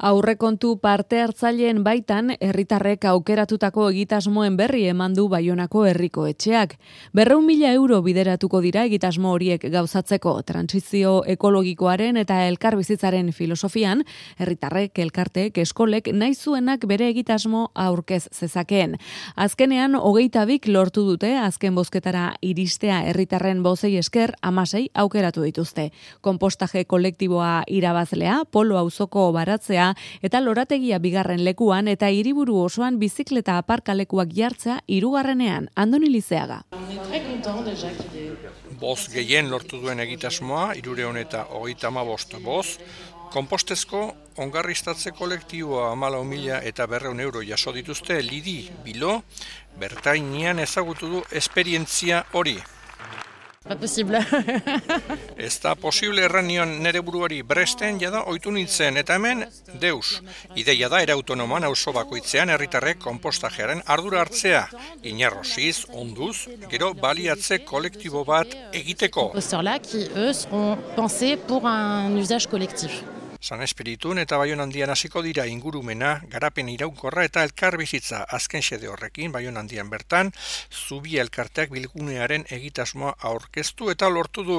Aurrekontu parte hartzaileen baitan herritarrek aukeratutako egitasmoen berri eman du Baionako herriko etxeak. 200.000 euro bideratuko dira egitasmo horiek gauzatzeko. Trantsizio ekologikoaren eta elkarbizitzaren filosofian, herritarrek, elkarteek, eskolek nahi zuenak bere egitasmo aurkez zezakeen. Azkenean 22 lortu dute azken bozketara iristea herritarren bozei esker 16 aukeratu dituzte. Konpostaje kolektiboa irabazlea, Polo auzoko baratzea eta lorategia bigarren lekuan eta hiriburu osoan bizikleta aparkalekuak jartzea hirugarrenean. Andoni Lizeaga. Boz gehien lortu duen egitasmoa 335 boz, konpostezko ongarriztatze kolektiboa 14.000 eta 200 euro jaso dituzte Lidi Bilo, bertainean ezagutu du esperientzia hori. Pas posible. Ez da posible erran nion nere buruari Bresten jada ohitu nintzen, eta hemen deus. Ideia da era autonomoan auzo bakoitzean herritarrek konpostajearen ardura hartzea. Inarrosiz, onduz, gero baliatze kolektibo bat egiteko. Composteurs-là qui, eux, seront pensés pour un usage collectif. San Espiritun eta Baionandian hasiko dira ingurumena, garapen iraunkorra eta elkarbizitza azken xede horrekin Baionandian bertan, Zubi elkarteak bilgunearen egitasmoa aurkeztu eta lortu du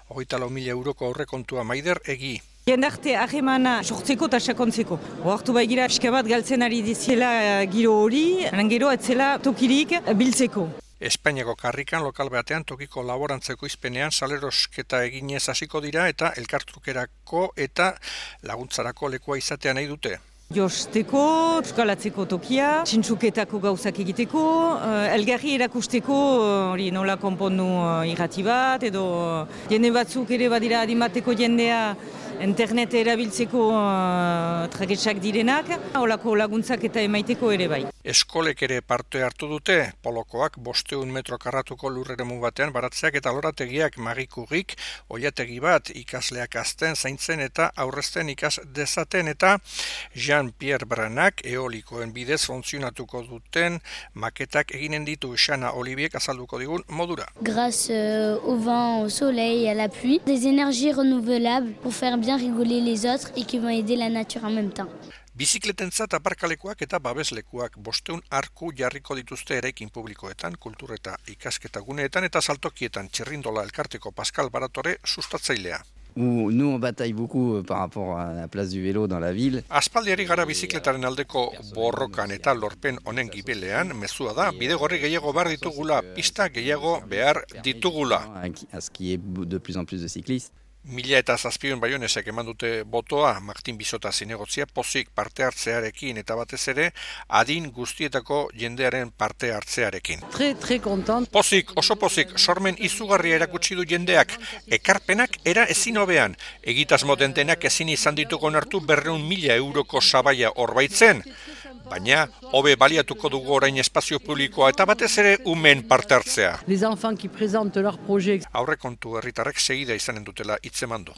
24.000 euroko aurrekontua Maider Egi. Jendarte harremana sortzeko eta sakontzeko. Oartu baigira eska bat galtzen ari diziela giro hori, gero etzela tokirik biltzeko. Espainiako karrikan lokal batean tokiko laborantzeko izpenean salerosketa eginez hasiko dira eta elkartrukerako eta laguntzarako lekua izatea nahi dute. Josteko, euskalatzeko tokia, txintzuketako gauzak egiteko, elgarri erakusteko hori nola konpondu irrati bat, edo jende batzuk ere badira adimateko jendea internet erabiltzeko tragetsak direnak, holako laguntzak eta emaiteko ere bai. Eskolek ere parte hartu dute, polokoak 500 metro karratuko lurreremu batean baratzeak eta lorategiak magikurik, oilategi bat ikasleak azten, zaintzen eta aurrezten ikas dezaten eta Jean-Pierre Branak eolikoen bidez funtzionatuko duten maketak eginen ditu Xana Oliviek azalduko digun modura. Grâce au vent, au soleil et à la pluie, des énergies renouvelables pour faire bien rigoler les autres et qui vont aider la nature en même temps. Bizikletentzat aparkalekuak eta babeslekuak 500 arku jarriko dituzte eraikin publikoetan, kultur eta ikasketa guneetan eta saltokietan Txirrindola elkarteko Pascal Baratore sustatzailea. Nous on bataille beaucoup par rapport à la place du vélo dans la ville. Aspaldiari gara bizikletaren aldeko borrokan eta lorpen honen gibelean, mezua da, bidegorri gehiago behar ditugula, pista gehiago behar ditugula. À ce qui est de plus en plus de cyclistes. 1007 baionesek eman dute botoa Martin Bizota zinegotzia pozik parte hartzearekin eta batez ere adin guztietako jendearen parte hartzearekin. Très content. Pozik, oso pozik, sormen izugarria erakutsi du jendeak, ekarpenak era ezin hobean, egitasmo dentenak ezin izan dituko onartu 200.000 euroko sabaia horbaitzen. Baina, hobe baliatuko dugu orain espazio publikoa eta batez ere umen parte hartzea. Les enfants qui présentent leur projet. Aurrekontu herritarrek segida izanen dutela hitzemandu.